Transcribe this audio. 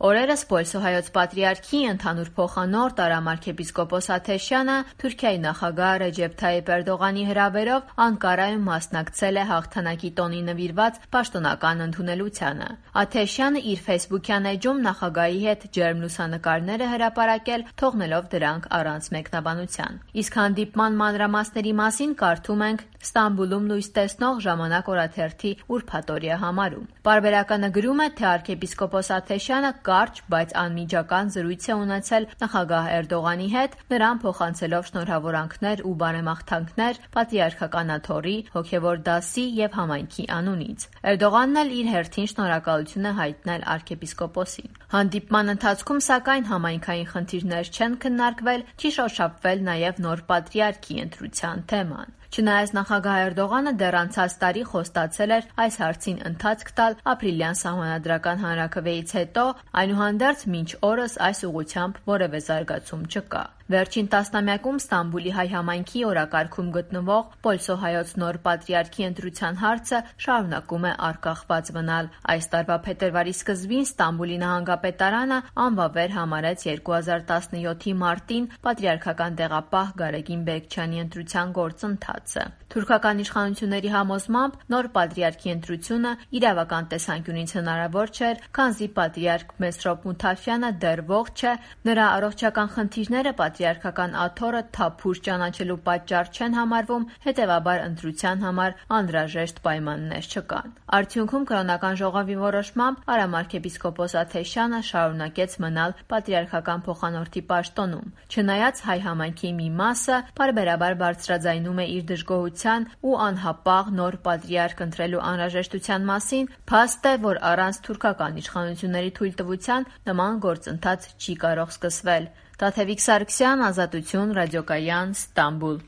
Օրերս Պոլսո-հայոց պատրիարքի ընդհանուր փոխանորդ արամարքեպիսկոպոս Աթեշյանը Թուրքիայի նախագահ Ռեջեփ Թայիփ Էրդողանի հրավերով Անկարայում մասնակցել է հաղթանակի տոնի նվիրված պաշտոնական ընդունելությանը։ Աթեշյանը իր ֆեյսբուքյան էջում նախագահի հետ ջերմ լուսանկարներ է հրապարակել, թողնելով դրանք առանց մեկնաբանության։ Իսկ հանդիպման մանրամասների մասին կարդում ենք Ստամբուլում լույս տեսնող Ժամանակ օրաթերթի ուրբաթօրյա համարում։ Պարբերականը գրում է, թե arczepiskopos Աթեշյանը կարճ, բայց անմիջական զրույց է ունեցել նախագահ Էրդողանի հետ, նրան փոխանցելով շնորհավորանքներ ու բարեմաղթանքներ պատրիարքական աթոռի, հոգևոր դասի եւ համայնքի անունից։ Էրդողանն էլ իր հերթին շնորհակալություն է հայտնել arczepiskopos-ին։ Հանդիպման ընթացքում, սակայն, համայնքային խնդիրներ չեն քննարկվել, չի շոշափվել նաեւ նոր պատրիարքի ընտրության թեման։ Չնայած նախագահ Էրդողանը դեռ անցած տարի խոստացել էր այս հարցին ընթացք տալ ապրիլյան սահմանադրական հանրաքվեից հետո, այնուհանդերձ մինչ օրս այս ուղղությամբ որևէ զարգացում չկա։ Վերջին տասնամյակում Ստամբուլի հայ համայնքի օրակարգում գտնվող Պոլսո-հայոց նոր պատրիարքի ընտրության հարցը շարունակում է արգախված մնալ։ Այս տարվա փետրվարի սկզբին Ստամբուլի նահանգապետարանը անվավեր համարեց 2017-ի մարտին պատրիարքական տեղապահ Գարեգին Բեկչյանի ընտրության գործընթացը։ Թուրքական իշխանությունների համոզմամբ նոր պատրիարքի ընտրությունը իրավական տեսանկյունից հնարավոր չէր, քանզի պատրիարք Մեսրոպ Մութաֆյանը դեռ ողջ է, նրա առողջական խնդիրները պատրիարքական աթոռը թափուր ճանաչելու պատճառ չեն համարվում, հետևաբար ընտրության համար անհրաժեշտ պայմաններ չկան։ Արդյունքում կրոնական ժողովի որոշմամբ արամարքեպիսկոպոս Աթեշյանը շարունակեց մնալ պատրիարքական փոխանորդի պաշտոնում։ Չնայած հայ համայնքի մի մասը պարբերաբար բարձրաձայնում է իր դժգոհության ու անհապաղ նոր պատրիարք ընտրելու անհրաժեշտության մասին, փաստ է, որ առանց թուրքական իշխանությունների թույլտվության նման գործընթաց չի կարող սկսվել։ Տաթևիկ Սարգսյան, Ազատություն, Ռադիոկայան, Ստամբուլ։